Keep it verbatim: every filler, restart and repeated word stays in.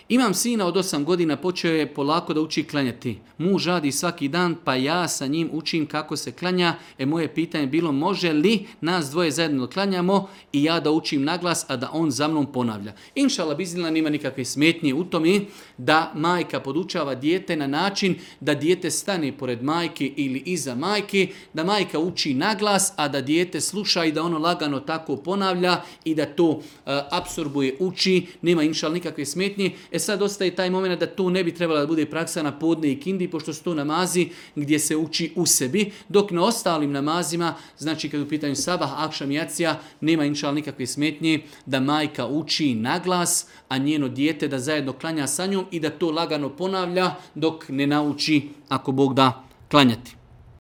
Imam sina od osam godina, počeo je polako da uči klanjati. Muž radi svaki dan, pa ja sa njim učim kako se klanja. E moje pitanje je bilo, može li nas dvoje zajedno klanjamo i ja da učim naglas, a da on za mnom ponavlja. Inšala biznila nema nikakve smetnje u tome da majka podučava dijete na način da dijete stane pored majke ili iza majke, da majka uči naglas, a da dijete sluša i da ono lagano tako ponavlja i da to uh, apsorbuje, uči, nema inšala nikakve smetnje. E sad ostaje taj moment da to ne bi trebala da bude praksa na podne i kindi, pošto su to namazi gdje se uči u sebi, dok na ostalim namazima, znači kad u pitanju sabah, akšam i jacija, nema inšala nikakve smetnje da majka uči naglas, a njeno dijete da zajedno klanja sa njom i da to lagano ponavlja dok ne nauči, ako Bog da, klanjati.